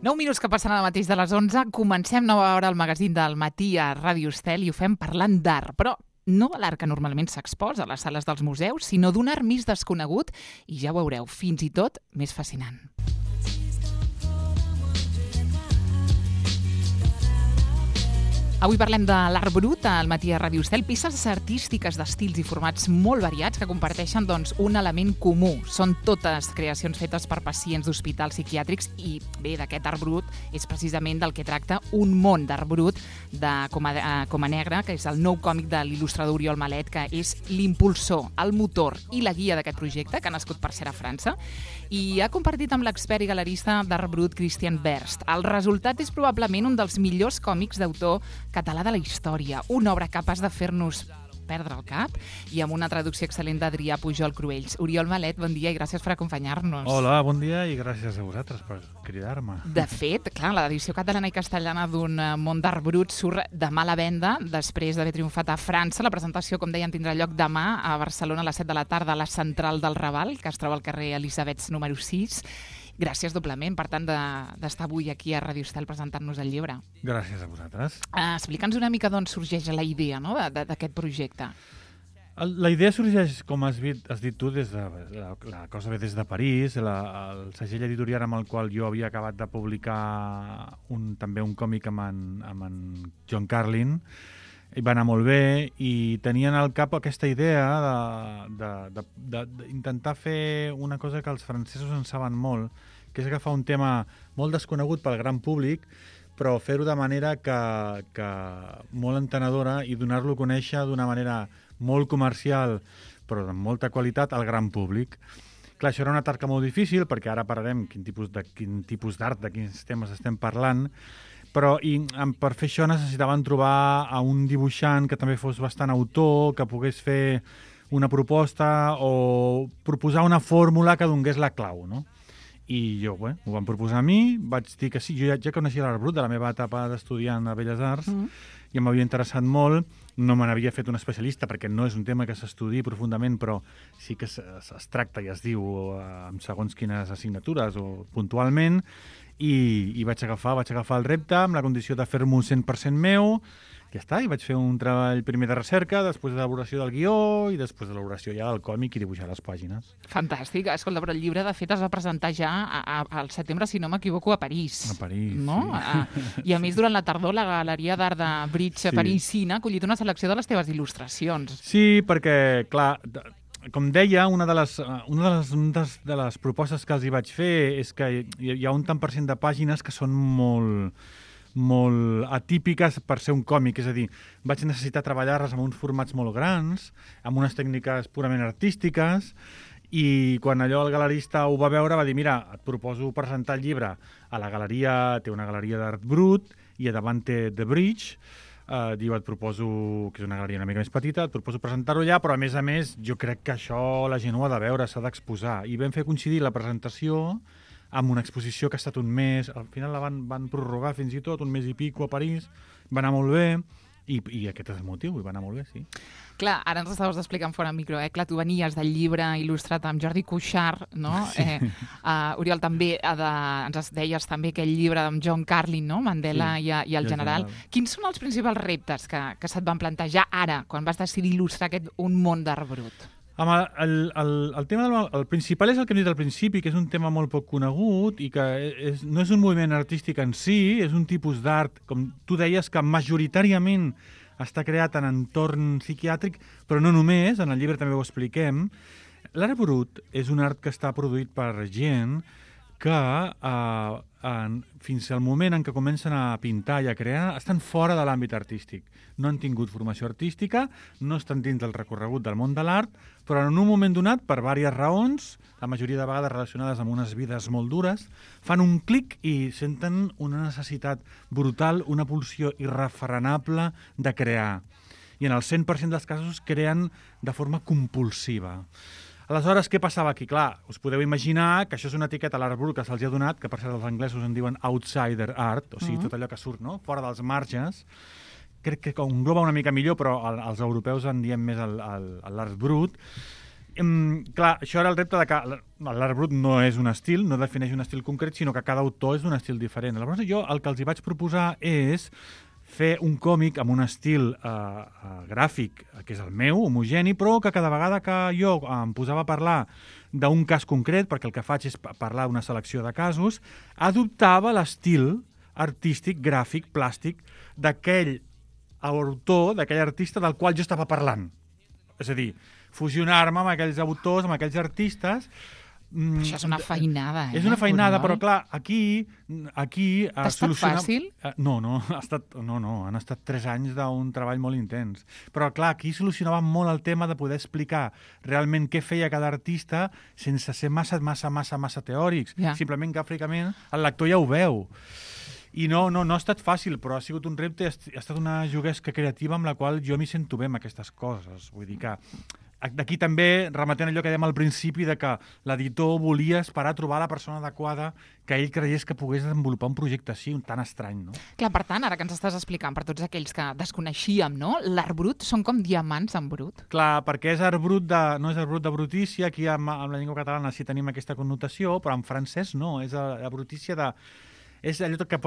9 minuts que passen ara mateix de les 11. Comencem nova hora al magazín del matí a Ràdio Estel i ho fem parlant d'art, però no de l'art que normalment s'exposa a les sales dels museus, sinó d'un art més desconegut i ja ho veureu, fins i tot més fascinant. Avui parlem de l'art brut al matí a Ràdio Estel, peces artístiques d'estils i formats molt variats que comparteixen un element comú. Són totes creacions fetes per pacients d'hospitals psiquiàtrics i bé, d'aquest art brut és precisament del que tracta Un món d'art brut de Coma Negra, que és el nou còmic de l'il·lustrador Oriol Malet, que és l'impulsor, el motor i la guia d'aquest projecte, que ha nascut per ser a França, i ha compartit amb l'expert i galerista d'art brut Christian Berst. El resultat és probablement un dels millors còmics d'autor català de la història, una obra capaç de fer-nos perdre el cap i amb una traducció excel·lent d'Adrià Pujol Cruells. Oriol Malet, bon dia i gràcies per acompanyar-nos. Hola, bon dia i gràcies a vosaltres per cridar-me. De fet, clar, l'edició catalana i castellana d'un món d'art brut surt demà a la venda, després d'haver triomfat a França. La presentació, com deien, tindrà lloc demà a Barcelona a les 7 de la tarda a la Central del Raval, que es troba al carrer Elisabets número 6. Gràcies doblement, per tant, d'estar avui aquí a Ràdio Estel presentant-nos el llibre. Gràcies a vosaltres. Explica'ns una mica d'on sorgeix la idea, no?, d'aquest projecte. La idea sorgeix, com has dit tu, la cosa ve des de París, el segell editorial amb el qual jo havia acabat de publicar també un còmic amb en John Carlin, i va anar molt bé, i tenien al cap aquesta idea d'intentar fer una cosa que els francesos en saben molt, que és agafar un tema molt desconegut pel gran públic, però fer-ho de manera que molt entenedora i donar-lo a conèixer d'una manera molt comercial, però amb molta qualitat al gran públic. Clar, això era una tasca molt difícil, perquè ara parlarem quin tipus d'art, de quins temes estem parlant, però per fer això necessitaven trobar a un dibuixant que també fos bastant autor, que pogués fer una proposta o proposar una fórmula que donés la clau, no? I jo, ho van proposar a mi, vaig dir que sí, jo ja coneixia l'art brut de la meva etapa d'estudiant a Belles Arts, i m'havia interessat molt, no me n'havia fet un especialista perquè no és un tema que s'estudi profundament, però sí que es tracta i es diu amb segons quines assignatures o puntualment, i vaig agafar el repte amb la condició de fer-m'ho 100% meu, ja està, i vaig fer un treball primer de recerca, després de l'elaboració del guió i després de l'elaboració ja del còmic i dibuixar les pàgines. Fantàstic. Escolta, però el llibre, de fet, es va presentar ja al setembre, si no m'equivoco, a París. A París, no? Sí. I a més, durant la tardor, la Galeria d'Art de Bridge parisina ha acollit una selecció de les teves il·lustracions. Sí, perquè, clar, com deia, una de les propostes que els hi vaig fer és que hi ha un tant per cent de pàgines que són molt atípiques per ser un còmic, és a dir, vaig necessitar treballar-les amb uns formats molt grans, amb unes tècniques purament artístiques, i quan allò el galerista ho va veure va dir, mira, et proposo presentar el llibre a la galeria, té una galeria d'art brut, i a davant té The Bridge, diu, et proposo, que és una galeria una mica més petita, et proposo presentar-ho allà, però a més, jo crec que això la gent ho ha de veure, s'ha d'exposar. I vam fer coincidir la presentació amb una exposició que ha estat un mes, al final la van prorrogar fins i tot, un mes i pico a París, va anar molt bé, i aquest és el motiu, i va anar molt bé, sí. Clar, ara ens estaves explicant fora micro, Clar, tu venies del llibre il·lustrat amb Jordi Cuixart, no? Sí. Oriol, també ens deies també aquell llibre amb John Carlin, no? Mandela i el general. Quins són els principals reptes que se't van plantejar ara, quan vas decidir il·lustrar Un món d'art brut? El tema el principal és el que hem dit al principi, que és un tema molt poc conegut i que no és un moviment artístic en si, és un tipus d'art, com tu deies, que majoritàriament està creat en entorn psiquiàtric, però no només, en el llibre també ho expliquem. L'art brut és un art que està produït per gent que fins al moment en què comencen a pintar i a crear estan fora de l'àmbit artístic. No han tingut formació artística, no estan dins del recorregut del món de l'art, però en un moment donat, per diverses raons, la majoria de vegades relacionades amb unes vides molt dures, fan un clic i senten una necessitat brutal, una pulsió irrefrenable de crear. I en el 100% dels casos creen de forma compulsiva. Aleshores, què passava aquí? Clar, us podeu imaginar que això és una etiqueta a l'art brut que se'ls ha donat, que per cert els anglesos en diuen outsider art, o sigui, tot allò que surt, no?, fora dels marges. Crec que engloba una mica millor, però els europeus en diem més l'art brut. Clar, això era el repte de que l'art brut no és un estil, no defineix un estil concret, sinó que cada autor és d'un estil diferent. Llavors jo el que els hi vaig proposar és fer un còmic amb un estil gràfic, que és el meu, homogeni, però que cada vegada que jo em posava a parlar d'un cas concret, perquè el que faig és parlar d'una selecció de casos, adoptava l'estil artístic, gràfic, plàstic, d'aquell autor, d'aquell artista del qual jo estava parlant. És a dir, fusionar-me amb aquells autors, amb aquells artistes. Això és una feinada, És una feinada, però clar, aquí... T'ha estat fàcil? No, han estat 3 anys d'un treball molt intens. Però clar, aquí solucionàvem molt el tema de poder explicar realment què feia cada artista sense ser massa teòrics. Ja. Simplement gràficament el lector ja ho veu. I no ha estat fàcil, però ha sigut un repte, ha estat una juguesca creativa amb la qual jo m'hi sento bé amb aquestes coses. Vull dir que d'aquí també remetent allò que dèiem al principi de que l'editor volia esperar a trobar la persona adequada que ell creiés que pogués desenvolupar un projecte així, tan estrany, no? Clar, per tant, ara que ens estàs explicant per tots aquells que desconeixíem, no? L'art brut són com diamants en brut. Clar, perquè és art brut no és art brut de brutícia, aquí amb la llengua catalana sí tenim aquesta connotació, però en francès no, és la brutícia de... És allò que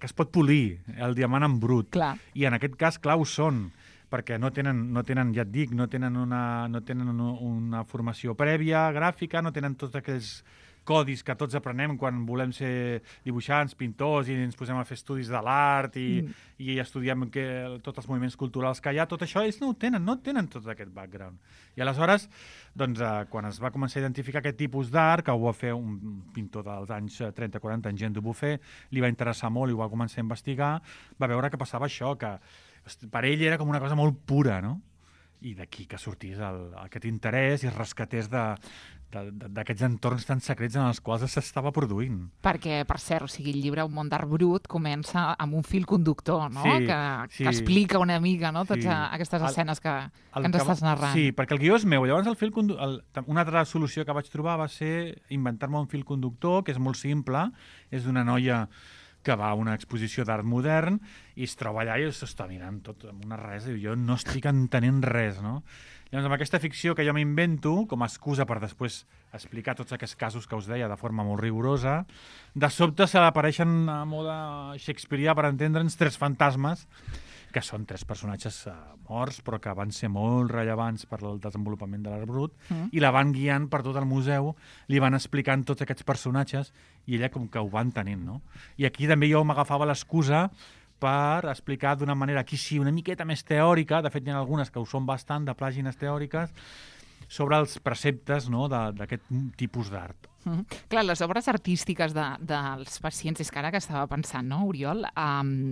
es pot polir, el diamant en brut. Clar. I en aquest cas, clar, ho són, perquè no tenen, ja et dic, no tenen una formació prèvia, gràfica, no tenen tots aquells codis que tots aprenem quan volem ser dibuixants, pintors, i ens posem a fer estudis de l'art i estudiem tots els moviments culturals que hi ha. Tot això ells no tenen tot aquest background. I aleshores, doncs, quan es va començar a identificar aquest tipus d'art, que ho va fer un pintor dels anys 30-40, en Jean Dubuffet, li va interessar molt i ho va començar a investigar, va veure que passava això, que per ell era com una cosa molt pura, no? I d'aquí que sortís aquest interès i es rescatés d'aquests entorns tan secrets en els quals s'estava produint. Perquè, per cert, el llibre Un món d'art brut comença amb un fil conductor, no? Sí, que explica una mica, no? Totes aquestes escenes que ens estàs narrant. Sí, perquè el guió és meu. Llavors una altra solució que vaig trobar va ser inventar-me un fil conductor, que és molt simple, és d'una noia que va a una exposició d'art modern i es troba allà i s'està mirant tot amb una res, i jo no estic entenent res, no? Llavors, amb aquesta ficció que jo m'invento, com a excusa per després explicar tots aquests casos que us deia de forma molt rigorosa, de sobte se l'apareixen a mode shakespearià, per entendre'ns, 3 fantasmes, que són 3 personatges morts, però que van ser molt rellevants per al desenvolupament de l'art brut, i la van guiant per tot el museu, li van explicant tots aquests personatges, i ella com que ho va entenent, no? I aquí també jo m'agafava l'excusa per explicar d'una manera, aquí sí, una miqueta més teòrica, de fet hi ha algunes que ho són bastant, de pàgines teòriques, sobre els preceptes, no?, d'aquest tipus d'art. Clar, les obres artístiques dels pacients, és que ara que estava pensant, no, Oriol?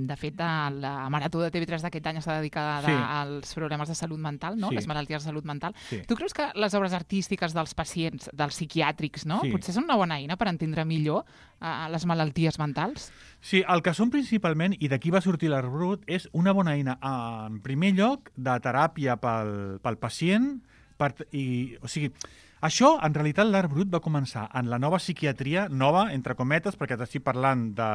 De fet, la Marató de TV3 d'aquest any està dedicada als problemes de salut mental, no? Les malalties de salut mental. Sí. Tu creus que les obres artístiques dels pacients, dels psiquiàtrics, no? Potser són una bona eina per entendre millor les malalties mentals? Sí, el que són principalment, i d'aquí va sortir l'art brut, és una bona eina, en primer lloc, de teràpia pel pacient, o sigui, això, en realitat, l'art brut va començar en la nova psiquiatria, nova, entre cometes, perquè t'estic parlant de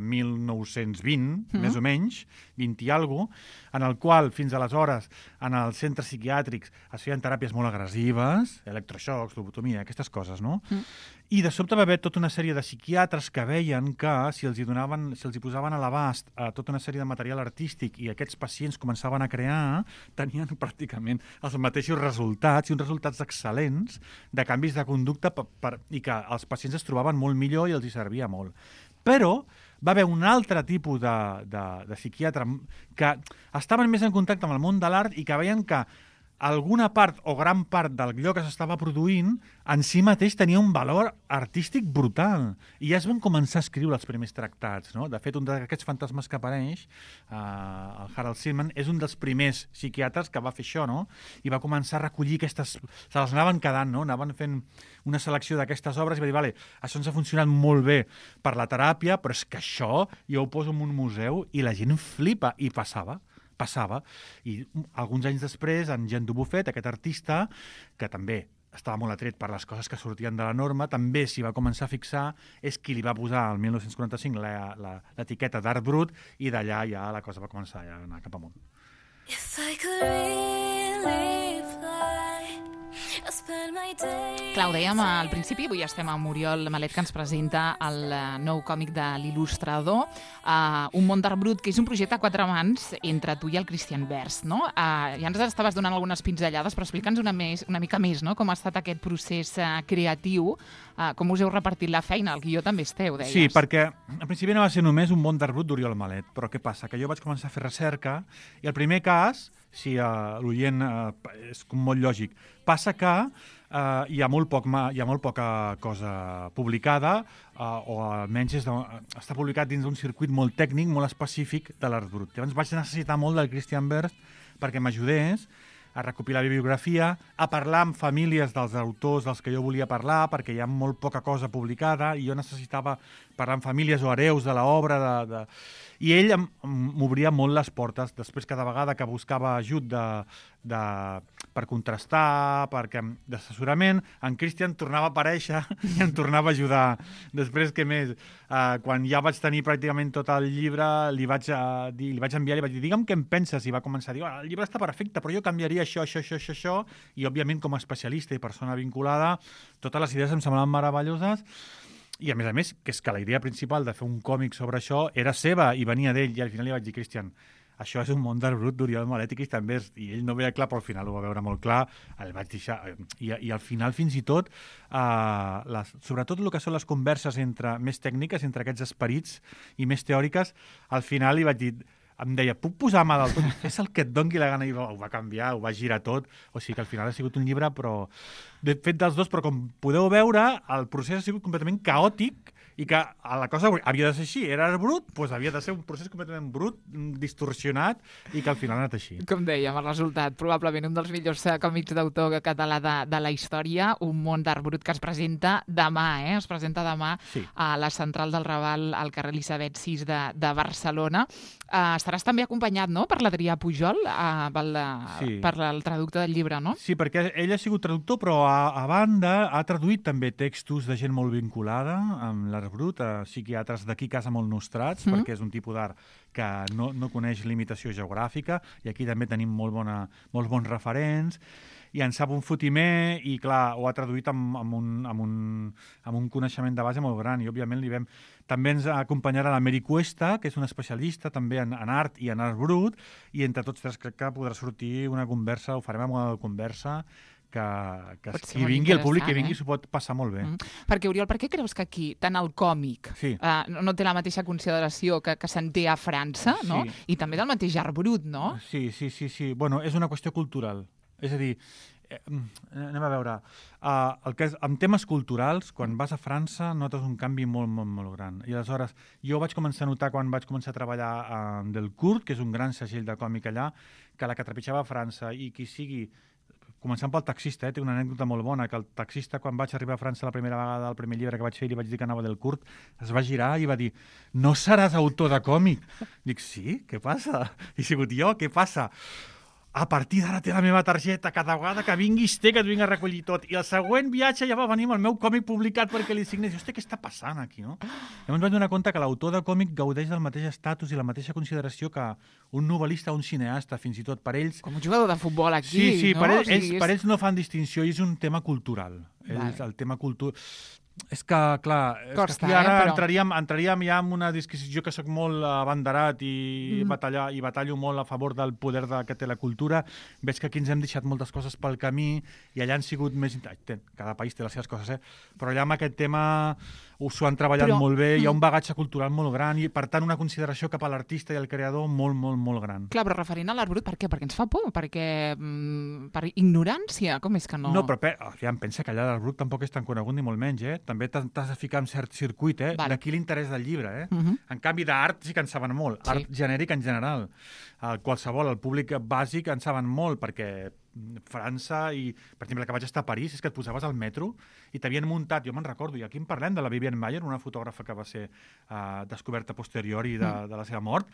1920, més o menys, 20 i alguna cosa, en el qual, fins aleshores, en els centres psiquiàtrics es feien teràpies molt agressives, electroxocs, lobotomia, aquestes coses, no? I de sobte va haver tota una sèrie de psiquiatres que veien que si els hi posaven a l'abast tota una sèrie de material artístic i aquests pacients començaven a crear, tenien pràcticament els mateixos resultats, i uns resultats excel·lents de canvis de conducta i que els pacients es trobaven molt millor i els hi servia molt. Però va haver un altre tipus de psiquiatre que estaven més en contacte amb el món de l'art i que veien que alguna part o gran part d'allò que s'estava produint en si mateix tenia un valor artístic brutal. I ja es van començar a escriure els primers tractats, no? De fet, un d'aquests fantasmes que apareix, el Harold Seaman, és un dels primers psiquiatres que va fer això, no? I va començar a recollir aquestes... Se les anaven quedant, no? Anaven fent una selecció d'aquestes obres i va dir, vale, això ens ha funcionat molt bé per la teràpia, però és que això jo ho poso en un museu i la gent flipa. I passava. I alguns anys després, en Jean Dubuffet, aquest artista, que també estava molt atret per les coses que sortien de la norma, també s'hi va començar a fixar, és qui li va posar el 1945 l'etiqueta d'art brut, i d'allà ja la cosa va començar a anar cap amunt. If I could really fly, Clar, ho dèiem al principi, avui estem amb Oriol Malet, que ens presenta el nou còmic de l'il·lustrador, Un món d'art brut, que és un projecte a 4 mans entre tu i el Christian Vers, no? Ja ens estaves donant algunes pinzellades, però explica'ns una mica més, no? Com ha estat aquest procés creatiu, com us heu repartit la feina, el guió també és teu, deies. Sí, perquè al principi no va ser només Un món d'art brut d'Oriol Malet, però què passa? Que jo vaig començar a fer recerca i el primer cas, si l'oient és molt lògic, passa que hi ha molt poca cosa publicada, o almenys està publicat dins d'un circuit molt tècnic, molt específic de l'art brut. Llavors vaig necessitar molt del Christian Vers perquè m'ajudés a recopilar bibliografia, a parlar amb famílies dels autors dels que jo volia parlar, perquè hi ha molt poca cosa publicada i jo necessitava parlar amb famílies o hereus de l'obra. I ell m'obria molt les portes. Després, cada vegada que buscava ajut per contrastar, d'assessorament, en Christian tornava a aparèixer i em tornava a ajudar. Després, què més? Quan ja vaig tenir pràcticament tot el llibre, li vaig enviar, li vaig dir, digue'm què en penses, i va començar a dir, el llibre està perfecte, però jo canviaria això, i òbviament com a especialista i persona vinculada, totes les idees em semblaven meravelloses. I a més, que és que la idea principal de fer un còmic sobre això era seva i venia d'ell, i al final li vaig dir, Christian, això és un món d'art brut d'Oriol Malet i Christian Vers, i ell no ho veia clar, però al final ho va veure molt clar, el vaig deixar, i al final fins i tot, sobretot el que són les converses més tècniques entre aquests esperits i més teòriques, al final li vaig dir, em deia, puc posar mà del tot? És el que et doni la gana, i ho va canviar, ho va girar tot, o sigui que al final ha sigut un llibre fet dels dos, però com podeu veure, el procés ha sigut completament caòtic i que la cosa havia de ser així, era brut, doncs havia de ser un procés completament brut, distorsionat, i que al final ha anat així. Com dèiem, el resultat, probablement un dels millors còmics d'autor català de la història, Un món d'art brut, que es presenta demà, es presenta demà sí, a la Central del Raval, al carrer Elisabet VI de Barcelona. Estaràs també acompanyat, no?, per l'Adrià Pujol, per el traductor del llibre, no? Sí, perquè ell ha sigut traductor, però a banda ha traduït també textos de gent molt vinculada amb l'art brut, psiquiatres d'aquí casa molt nostrats, perquè és un tipus d'art que no coneix limitació geogràfica, i aquí també tenim molts bons referents, i en sap un fotimer, i clar, ho ha traduït amb un coneixement de base molt gran, i òbviament també ens acompanyarà la Mary Cuesta, que és una especialista també en art i en art brut, i entre tots tres crec que podrà sortir una conversa, ho farem amb una conversa, que qui vingui, el públic que vingui s'ho pot passar molt bé. Perquè, Oriol, per què creus que aquí, tant el còmic, no té la mateixa consideració que se'n té a França, no? I també del mateix art brut, no? Sí. Bueno, és una qüestió cultural. És a dir, anem a veure, en temes culturals, quan vas a França notes un canvi molt, molt, molt gran. I aleshores, jo vaig començar a notar quan vaig començar a treballar amb Delcourt, que és un gran segell de còmic allà, que la que trepitjava a França i qui sigui, començant pel taxista, té una anècdota molt bona, que el taxista, quan vaig arribar a França la primera vegada, el primer llibre que vaig fer, li vaig dir que anava del Delcourt, es va girar i va dir, no seràs autor de còmic? Dic, sí? Què passa? He sigut jo? Què passa? A partir d'ara té la meva targeta, cada vegada que vinguis té que et vinc a recollir tot. I el següent viatge ja va venir amb el meu còmic publicat perquè li signes. I, hòstia, què està passant aquí, no? Llavors vaig donar compte que l'autor de còmic gaudeix del mateix estatus i la mateixa consideració que un novel·lista o un cineasta, fins i tot per ells. Com un jugador de futbol aquí, sí, no? Per ells no fan distinció i és un tema cultural. El tema cultural... És que, clar, aquí ara entraríem ja en una disquisició que soc molt abanderat i batallo molt a favor del poder que té la cultura. Veig que aquí ens hem deixat moltes coses pel camí i allà han sigut més... Cada país té les seves coses, però allà amb aquest tema s'ho han treballat molt bé, hi ha un bagatge cultural molt gran i, per tant, una consideració cap a l'artista i al creador molt, molt, molt gran. Clar, però referent a l'art brut, per què? Perquè ens fa por? Perquè per ignorància? Com és que no? No, però em pensa que allà l'art brut tampoc és tan conegut ni molt menys, També t'has de ficar en cert circuit, D'aquí l'interès del llibre, En canvi, d'art sí que en saben molt. Art genèric en general. Qualsevol, el públic bàsic en saben molt, perquè França i, per exemple, que vaig estar a París, és que et posaves al metro i t'havien muntat, jo me'n recordo, i aquí en parlem de la Vivienne Mayer, una fotògrafa que va ser descoberta posteriori de la seva mort.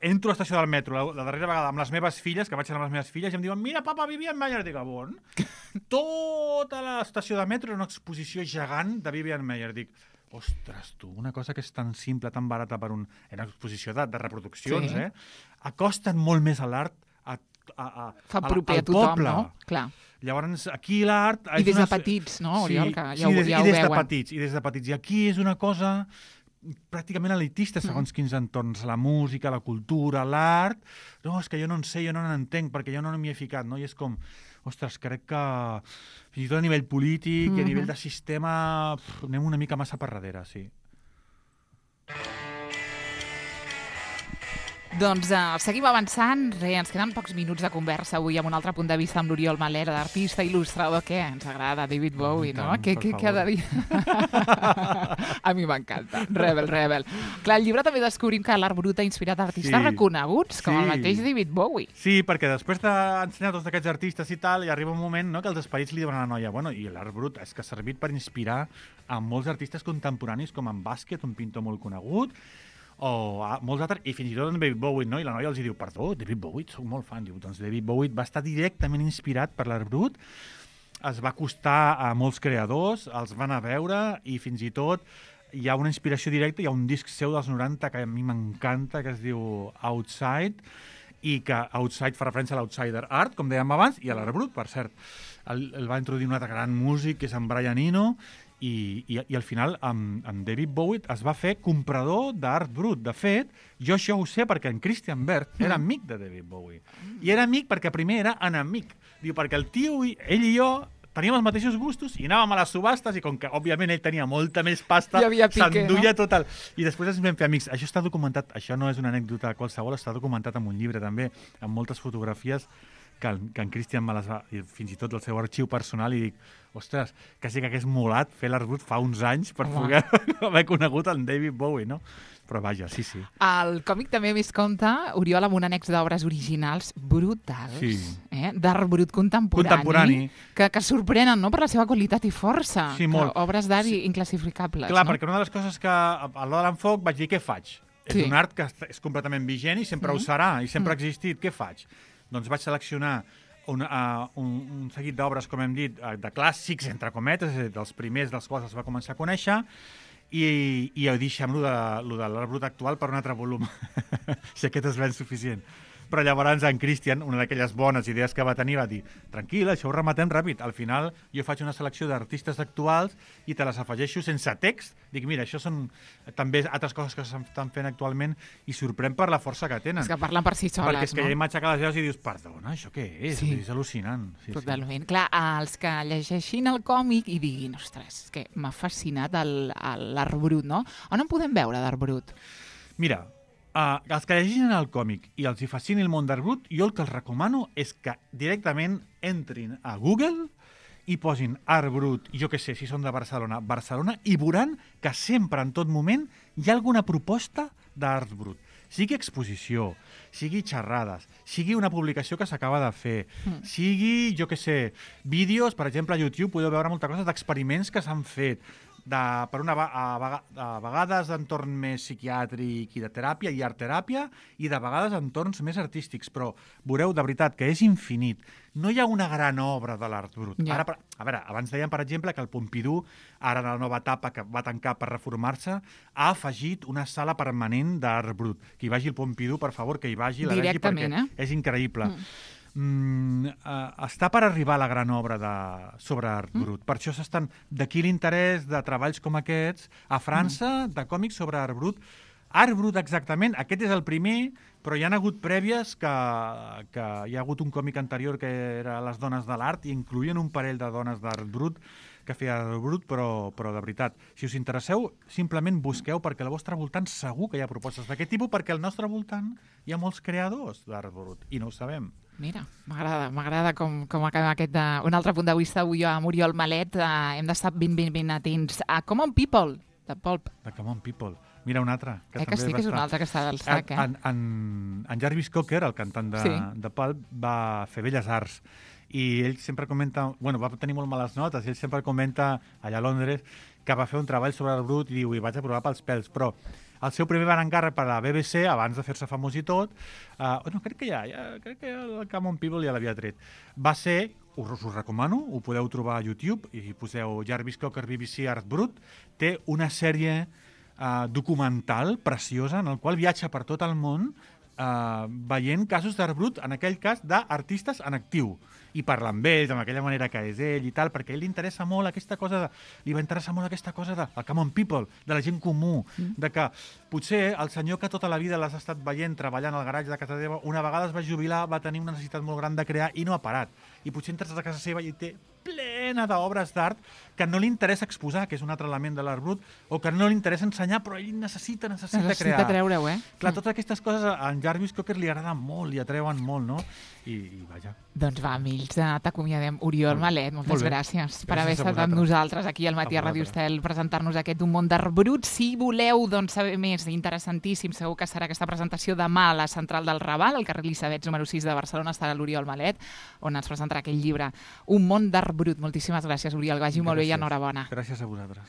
Entro a l'estació del metro la darrera vegada amb les meves filles, que vaig anar amb les meves filles, i em diuen, mira, papa, Vivienne Mayer. Dic, bon? Tota l'estació de metro era una exposició gegant de Vivienne Mayer. Dic, ostres, tu, una cosa que és tan simple, tan barata per una exposició de reproduccions, acosten molt més a l'art fa proper a tothom, no? Clar. Llavors, aquí l'art... I des de petits, no, Oriol, que ja ho veuen. I des de petits. I aquí és una cosa pràcticament elitista, segons quins entorns. La música, la cultura, l'art... No, és que jo no en sé, jo no n'entenc, perquè jo no m'hi he ficat, no? I és com... Ostres, crec que fins i tot a nivell polític i a nivell de sistema anem una mica massa per darrere, sí. Doncs seguim avançant. Ens queden pocs minuts de conversa avui amb un altre punt de vista amb l'Oriol Malet, d'artista, il·lustrador. Què? Ens agrada David Bowie, no? Què ha de dir? A mi m'encanta. Rebel. Clar, al llibre també descobrim que l'art brut ha inspirat artistes reconeguts, com el mateix David Bowie. Sí, perquè després d'ensenyar tots aquests artistes i tal, hi arriba un moment, no?, que els esperits li diuen a la noia, bueno, i l'art brut és que ha servit per inspirar a molts artistes contemporanis, com en Basquiat, un pintor molt conegut, o molts altres, i fins i tot en David Bowie, no? I la noia els diu, perdó, David Bowie, soc molt fan. Diu, doncs David Bowie va estar directament inspirat per l'art brut, es va acostar a molts creadors, els van a veure, i fins i tot hi ha una inspiració directa, hi ha un disc seu dels 90 que a mi m'encanta, que es diu Outside, i que Outside fa referència a l'Outsider Art, com dèiem abans, i a l'art brut, per cert. El va introduir un altre gran músic, que és en Brian Eno, i al final amb David Bowie es va fer comprador d'art brut. De fet, jo això ho sé perquè en Christian Berth era amic de David Bowie. I era amic perquè primer era enemic. Diu, perquè el tio, ell i jo, teníem els mateixos gustos i anàvem a les subhastes i com que, òbviament, ell tenia molta més pasta, s'enduia tot el... I després ens vam fer amics. Això està documentat, això no és una anècdota qualsevol, està documentat en un llibre també, amb moltes fotografies que en Christian me les va... Fins i tot el seu arxiu personal, i dic, ostres, quasi que hagués molat fer l'art brut fa uns anys per poder haver conegut en David Bowie, no? Però vaja, sí. El còmic també més compta, Oriol, amb un annex d'obres originals brutals, d'art brut contemporani. Que sorprenen, no?, per la seva qualitat i força. Sí, molt. Obres d'art inclassificables. Clar, perquè una de les coses que a l'hora de l'enfoc vaig dir, què faig? És un art que és completament vigent i sempre ho serà, i sempre ha existit. Què faig? Doncs vaig seleccionar un seguit d'obres, com hem dit, de clàssics, entre cometes, dels primers dels quals es va començar a conèixer, i deixem lo de l'art brut actual per un altre volum, si aquest és ben suficient. Però llavors en Christian, una d'aquelles bones idees que va tenir, va dir, tranquil, això ho rematem ràpid. Al final jo faig una selecció d'artistes actuals i te les afegeixo sense text. Dic, mira, això són també altres coses que s'estan fent actualment i sorprèn per la força que tenen. És que parlen per si soles, perquè és que hi ha imatge que les veus i dius, perdona, això què és? Sí. És al·lucinant. Sí, totalment. Clar, els que llegeixin el còmic i diguin, ostres, és que m'ha fascinat l'art brut, no? On en podem veure d'art brut? Mira, els que llegeixin el còmic i els hi fascini el món d'art brut, jo el que els recomano és que directament entrin a Google i posin art brut, jo què sé, si són de Barcelona, i veuran que sempre, en tot moment, hi ha alguna proposta d'art brut. Sigui exposició, sigui xerrades, sigui una publicació que s'acaba de fer, sigui, jo què sé, vídeos, per exemple, a YouTube podeu veure moltes coses d'experiments que s'han fet, a vegades d'entorn més psiquiàtric i de teràpia i art-teràpia, i de vegades entorns més artístics, però veureu, de veritat, que és infinit. No hi ha una gran obra de l'art brut. Ja. Ara, a veure, abans dèiem, per exemple, que el Pompidou, ara en la nova etapa que va tancar per reformar-se, ha afegit una sala permanent d'art brut. Que hi vagi el Pompidou, per favor, que hi vagi, la vegi, perquè és increïble. Està per arribar a la gran obra sobre art brut. Per això d'aquí l'interès de treballs com aquests a França, de còmics sobre art brut. Art brut, exactament, aquest és el primer, però hi ha hagut prèvies que hi ha hagut un còmic anterior que era Les dones de l'art, i incloïen un parell de dones d'art brut que feia art brut, però de veritat, si us interesseu, simplement busqueu, perquè al vostre voltant segur que hi ha propostes d'aquest tipus, perquè al nostre voltant hi ha molts creadors d'art brut, i no ho sabem. Mira, m'agrada com acaba aquest un altre punt de vista avui amb Oriol Malet. Hem d'estar ben atents a Common People, de Pulp. De Common People. Mira un altre. Que sí que és un altre que està del sac, En Jarvis Cocker, el cantant de Pulp, va fer Belles Arts. I ell sempre comenta... Bueno, va tenir molt males notes, i ell sempre comenta allà a Londres que va fer un treball sobre el brut i diu, i vaig aprovar pels pèls, però el seu primer van encàrrec per a la BBC, abans de fer-se famós i tot, crec que el Common People ja l'havia tret. Va ser, us ho recomano, ho podeu trobar a YouTube, i poseu Jarvis Cocker BBC Art Brut, té una sèrie documental preciosa en el qual viatja per tot el món veient casos d'art brut, en aquell cas, d'artistes en actiu. I parlar amb ells, amb aquella manera que és ell i tal, perquè a ell li interessa molt aquesta cosa li va interessar molt aquesta cosa del common people, de la gent comú, de que potser el senyor que tota la vida l'has estat veient treballant al garatge de casa teva, una vegada es va jubilar, va tenir una necessitat molt gran de crear i no ha parat. I potser entres a casa seva i té plena d'obres d'art que no li interessa exposar, que és un altre element de l'art brut, o que no li interessa ensenyar, però ell necessita crear. Necessita treure-ho, Clar, totes aquestes coses a en Jarvis Cocker li agraden molt, li atreuen molt, no? I vaja. Doncs va, Mills, t'acomiadem. Oriol Malet, moltes gràcies per haver estat amb nosaltres aquí al Matí a Ràdio Estel, presentar-nos aquest Un món d'art brut. Si voleu saber més, interessantíssim, segur que serà aquesta presentació demà a la Central del Raval, al carrer Elisabets número 6 de Barcelona, estarà l'Oriol Malet, on ens presentarà aquell llibre Un món d'art brut. Moltíssimes gràcies, Oriol, que vagi molt bé i enhorabona. Gràcies a vosaltres.